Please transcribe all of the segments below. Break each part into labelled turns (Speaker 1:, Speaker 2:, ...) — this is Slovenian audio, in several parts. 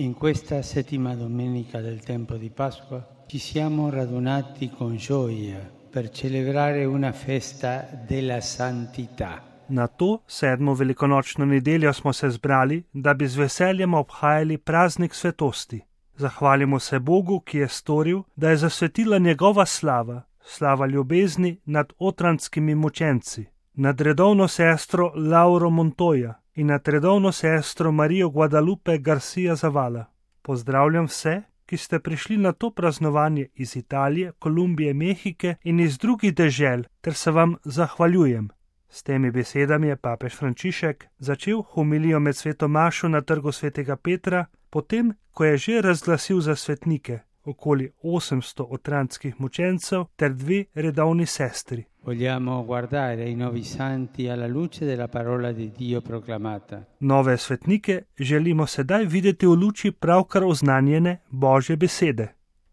Speaker 1: In questa settima domenica del tempo di Pasqua ci siamo radunati con gioia per celebrare una festa della santità.
Speaker 2: Na to 7. velikonočno nedeljo smo se zbrali, da bi z veseljem obhajali praznik svetosti. Zahvalimo se Bogu, ki je storil, da je zasvetila njegova slava, slava ljubezni nad otranskimi mučenci, nad redovno sestro Lauro Montoya in nad redovno sestro Marijo Guadalupe Garcia Zavala. Pozdravljam vse, ki ste prišli na to praznovanje iz Italije, Kolumbije, Mehike in iz drugih dežel, ter se vam zahvaljujem. S temi besedami je papež Frančišek začel homilijo med sveto mašo na trgu svetega Petra, potem, ko je že razglasil za svetnike okoli 800 otranskih mučencev ter 2 redovni sestri.
Speaker 1: Vogliamo guardare i nuovi santi alla luce della parola di Dio proclamata.
Speaker 2: Nove svetnike želimo sedaj videti v luči pravkar oznanjene Božje besede.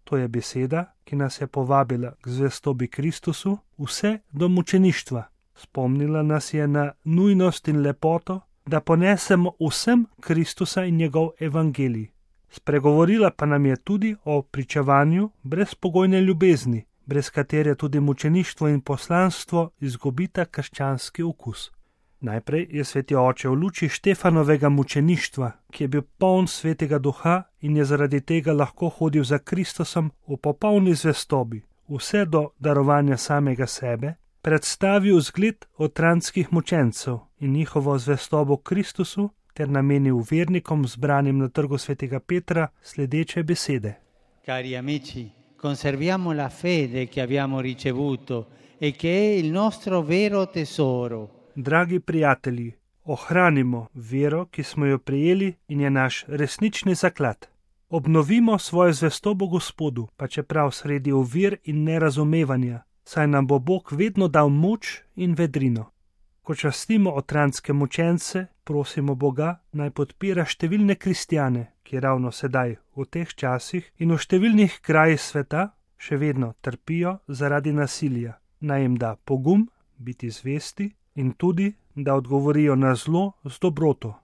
Speaker 2: To je beseda, ki nas je povabila k zvestobi Kristusu vse do mučeništva. Spomnila nas je na nujnost in lepoto, da ponesemo vsem Kristusa in njegov evangelij. Spregovorila pa nam je tudi o pričevanju brezpogojne ljubezni, brez katere tudi mučeništvo in poslanstvo izgubita krščanski okus. Najprej je sveti oče v luči Štefanovega mučeništva, ki je bil poln svetega duha in je zaradi tega lahko hodil za Kristusom v popolni zvestobi, vse do darovanja samega sebe, predstavil zgled otranskih mučencev in njihovo zvestobo Kristusu ter namenil vernikom zbranim na trgu svetega Petra sledeče besede.
Speaker 1: Cari amici, conserviamo la fede che abbiamo ricevuto e che è il nostro vero tesoro.
Speaker 2: Dragi prijatelji, ohranimo vero, ki smo jo prejeli in je naš resnični zaklad. Obnovimo svojo zvestobo Gospodu, pa čeprav sredi ovir in nerazumevanja, saj nam bo Bog vedno dal moč in vedrino. Ko častimo otranske mučence, prosimo Boga, naj podpira številne kristjane, ki ravno sedaj, v teh časih in v številnih krajih sveta, še vedno trpijo zaradi nasilja. Naj jim da pogum, biti zvesti in tudi, da odgovorijo na zlo z dobroto.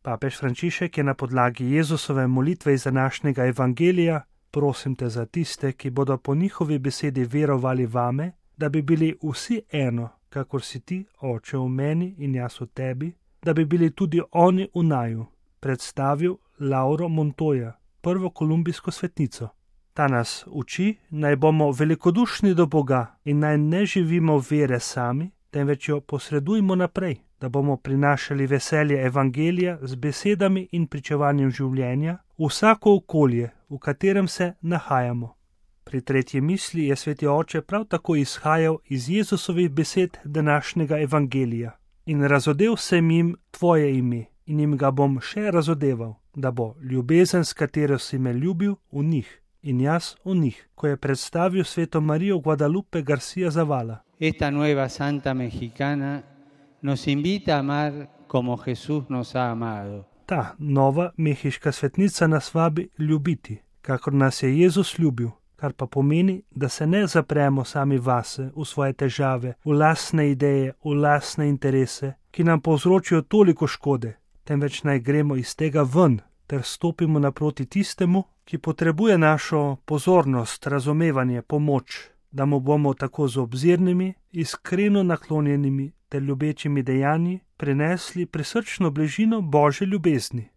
Speaker 2: Papež Frančišek je na podlagi Jezusove molitve iz današnjega evangelija: prosim te za tiste, ki bodo po njihovi besedi verovali vame, da bi bili vsi eno, kakor si ti, Oče, v meni in jaz v tebi, da bi bili tudi oni v naju, predstavil Lauro Montoya, prvo kolumbijsko svetnico. Ta nas uči, naj bomo velikodušni do Boga in naj ne živimo vere sami, temveč jo posredujmo naprej, da bomo prinašali veselje evangelija z besedami in pričevanjem življenja v vsako okolje, v katerem se nahajamo. Pri tretji misli je sveti oče prav tako izhajal iz Jezusovih besed današnjega evangelija. In razodel sem jim tvoje ime in jim ga bom še razodeval, da bo ljubezen, s katero si me ljubil, v njih in jaz v njih, ko je predstavil sveto Marijo Guadalupe Garcia Zavala.
Speaker 1: Esta nueva santa mexicana nos invita a amar como Jesús nos ha amado.
Speaker 2: Ta nova mehiška svetnica nas vabi ljubiti, kakor nas je Jezus ljubil, kar pa pomeni, da se ne zapremo sami vase, v svoje težave, v lastne ideje, v lastne interese, ki nam povzročijo toliko škode, temveč naj gremo iz tega ven ter stopimo naproti tistemu, ki potrebuje našo pozornost, razumevanje, pomoč, da mu bomo tako z obzirnimi, iskreno naklonjenimi ter ljubečimi dejanji prinesli prisrčno bližino Božje ljubezni.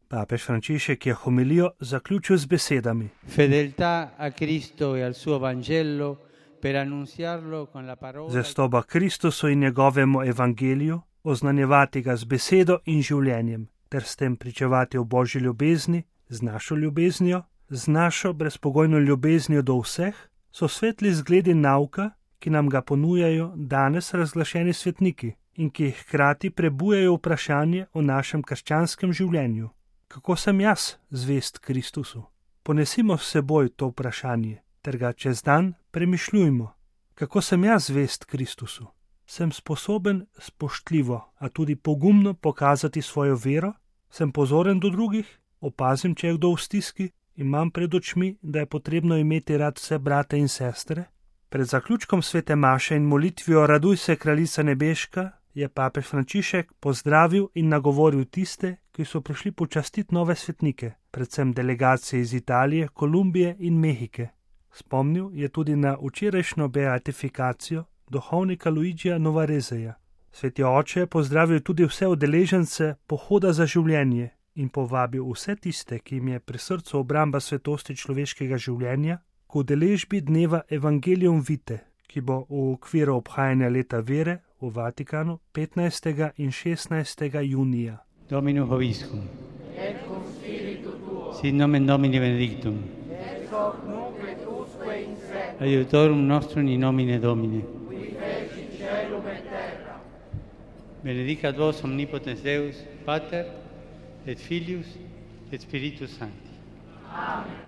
Speaker 2: Papež Frančišek je homilijo zaključil z besedami:
Speaker 1: Fedeltà a Cristo e al suo Vangelo per annunziarlo con la parola.
Speaker 2: Zvestoba Kristusu in njegovemu evangeliju, oznanjevati ga z besedo in življenjem, ter s tem pričevati o Božji ljubezni, z našo ljubeznijo, z našo brezpogojno ljubeznijo do vseh, so svetli zgledi nauka, ki nam ga ponujajo danes razglašeni svetniki in ki hkrati prebujajo vprašanje o našem krščanskem življenju. Kako sem jaz zvest Kristusu? Ponesimo s seboj to vprašanje, ter ga čez dan premišljujmo. Kako sem jaz zvest Kristusu? Sem sposoben spoštljivo, a tudi pogumno pokazati svojo vero? Sem pozoren do drugih? Opazim, če je kdo v stiski? Imam pred očmi, da je potrebno imeti rad vse brate in sestre? Pred zaključkom svete maše in molitvijo Raduj se, kraljica nebeška, je papež Frančišek pozdravil in nagovoril tiste, ki so prišli počastiti nove svetnike, predvsem delegacije iz Italije, Kolumbije in Mehike. Spomnil je tudi na včerajšnjo beatifikacijo duhovnika Luigija Novarezeja. Sveti oče je pozdravil tudi vse udeležence pohoda za življenje in povabil vse tiste, ki jim je pri srcu obramba svetosti človeškega življenja, k udeležbi dneva Evangelium Vitae, ki bo v okviru obhajanja leta vere v Vatikanu 15. in 16. junija.
Speaker 1: Dominus vobiscum. Et cum spiritu tuo. Sit nomen Domini benedictum. Et hoc nunc et usque in seculum. Aiutorium nostrum in nomine Domini. Qui feci caelum et terra. Benedicat vos omnipotens Deus, Pater, et Filius, et Spiritus Sancti. Amen.